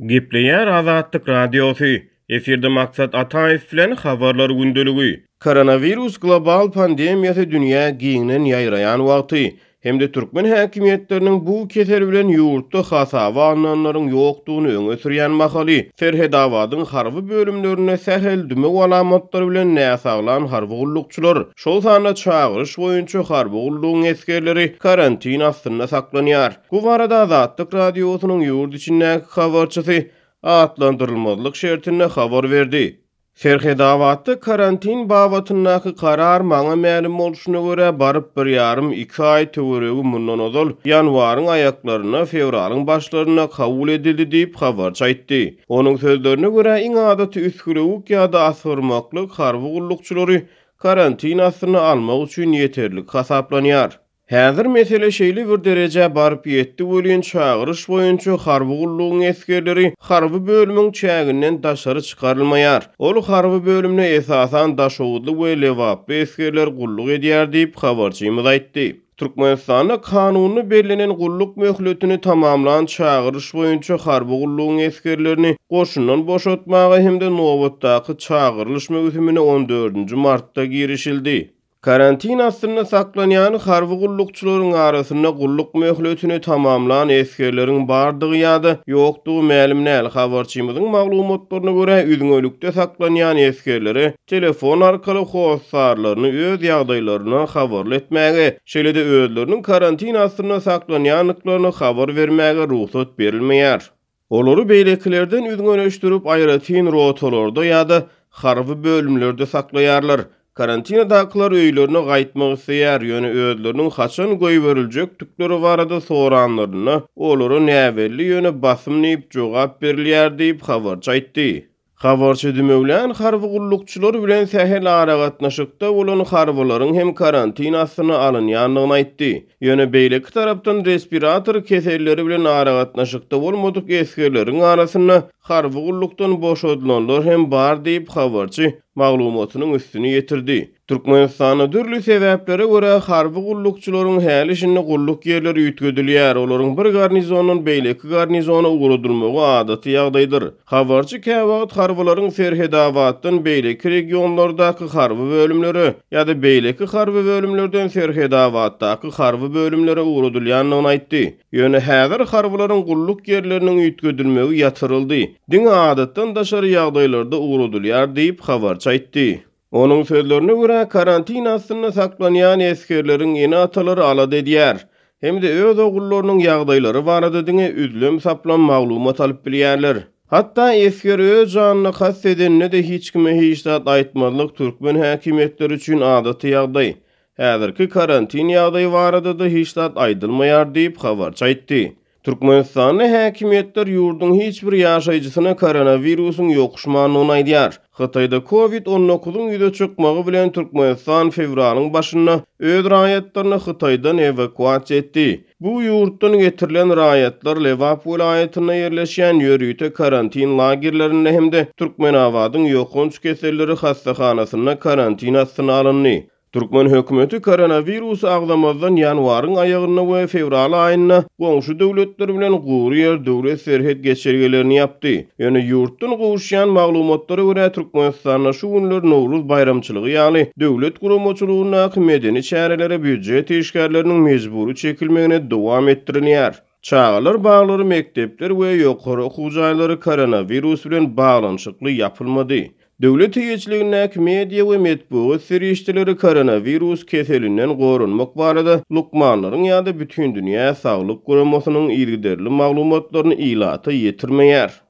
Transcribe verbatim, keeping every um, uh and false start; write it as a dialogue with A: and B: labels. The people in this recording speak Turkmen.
A: Gepleýär Azatlyk Radiosy. Efirde Maksat Ataýew bilen Habarlar gündeligi. Koronawirus global pandemiýasy dünýä giňden ýaýraýan wagty hem-de türkmen häkimiýetleriniň bu kesel bilen ýurtda hasaba alnanlaryň ýokdugyny öňe sürýän mahaly, Serhetabadyň harby bölümlerinde sähel dümew alamatlary bilen näsaglan harby gullukçylar, şol sanda çagyryş boýunça harby gullugyň esgerleri karantin astynda saklanýar. Bu barada Azatlyk Radiosynyň ýurt içindäki habarçysy atlandyrylmazlyk şertinde habar berdi. Serhetabatda karantin babatyndaky karar, maňa mälim bolşuna görä, baryp bir ýarym-iki aý töweregi mundan ozal, ýanwaryň aýaklarynda, fewralyň başlarynda kabul edildi diýip, habarçy aýtdy. Onuň sözlerine görä, iň adaty üsgülewük ýa-da asgyrmaklyk harby gullukçylary karantin astyna almak üçin ýeterlik hasaplanýar. Häzir mesele şeýle bir derejä baryp ýetdi welin, çagyryş boýunça harby gullugyň esgerleri harby bölümiň çäginden daşary çykarylmaýar. Ol harby bölümde esasan daşoguzly we lebaply esgerler gulluk edýär diýip, habarçymyz aýtdy. Türkmenistanda kanunda bellenen gulluk möhletini tamamlan çagyryş boýunça harby gullugyň esgerlerini goşundan boşatmaga hem-de nobatdaky çagyrylyş möwsümine on dördünji martda girişildi. Karantin astynda saklanýan harby gullukçylaryň arasynda gulluk möhletini tamamlan esgerleriň bardygy ýa-da ýokdugy mälim däl. Habarçymyzyň maglumatlaryna görä, üzňelikde saklanýan esgerlere telefon arkaly hossarlaryny öz ýagdaýlaryndan habarly etmäge, şeýle-de özleriniň karantin astynda saklanýandyklaryny habar bermäge rugsat berilmeýär. Olary beýlekilerden üzňeleşdirip, aýratyn rotalarda ýa-da harby bölümlerde saklaýarlar. Karantinadakylar öýlerine gaýtmak isleýär, ýöne özleriniň haçan goýberiljekdikleri barada soranlarynda, olara näbelli, ýöne basym diýip jogap berilýär diýip, habarçy aýtdy. Habarçy dümewlän harby gullukçylar bilen sähel aragatnaşykda bolan harbylaryň hem karantin astyna alynýandygyny aýtdy. Ýöne beýleki tarapdan respirator keselleri bilen aragatnaşykda bolmadyk esgerleriň arasynda harby gullukdan boşadylanlar hem bar diýip, habarçy maglumatynyň üstüni ýetirdi. Türkmenistanda dürli sebäplere görä harby gullukçylaryň häli-şindi gulluk ýerleri üýtgedilýär, olaryň bir garnizondan beýleki garnizona ugradylmagy adaty ýagdaýdyr. Habarçy käwagt harbylaryň Serhetabatdan beýleki regionlardaky harby bölümlere ýa-da beýleki harby bölümlerden Serhetabatdaky harby bölümlere ugradylýandygyny aýtdy. Ýöne häzir harbylaryň gulluk ýerleriniň üýtgedilmegi ýatyryldy, diňe adatdan daşary ýagdaýlarda ugradylýar diýip, habarçy aýtdy. Onuň sözlerine görä, karantin astynda saklanýan esgerleriň ene-atalary alada edýär hem-de öz ogullarynyň ýagdaýlary barada diňe üzlem-saplam maglumat alyp bilýärler. Hatda esger öz janyna kast edende-de hiç kime hiç zat aýtmazlyk türkmen häkimiýetleri üçin adaty ýagdaý. Häzirki karantin ýagdaýy barada-da hiç zat aýdylmaýar diýip, habarçy aýtdy. Türkmenistanda häkimiýetler ýurduň hiç bir ýaşaýjysyna koronawirusyň ýokuşmandygyny aýdýar. Hytaýda Covid on dokuzyň ýüze çykmagy bilen Türkmenistan fewralyň başynda öz raýatlaryny Hytaýdan ewakuasiýa etdi. Bu ýurtdan getirilen raýatlar Lebap welaýatynda ýerleşýän ýörite karantin lagerlerinde hem-de Türkmenabadyň ýokanç keselleri hassahanasynda karantin astyna alyndy. Türkmen hökümeti koronawirusy agzamazdan ýanwaryň aýagynda we fewral aýynda goňşy döwletler bilen gury ýer döwlet serhet geçelgelerini ýapdy. Ýöne ýurtdan gowuşýan maglumatlara görä, Türkmenistanda şu günler Nowruz baýramçylygy ýaly döwlet guramaçylygyndaky medeni çärelere býujet işgärleriniň mejbury çekilmegine dowam etdirilýär. Çagalar baglary, mekdepler we ýokary okuw jaýlary koronawirus bilen baglanyşykly ýapylmady. Döwlet eýeçiligindäki media we metbugat serişdeleri koronawirus keselinden goranmak barada lukmanlaryň ýa-da Bütindünýä saglyk guramasynyň yzygiderli maglumatlaryny ilata ýetirmeýär.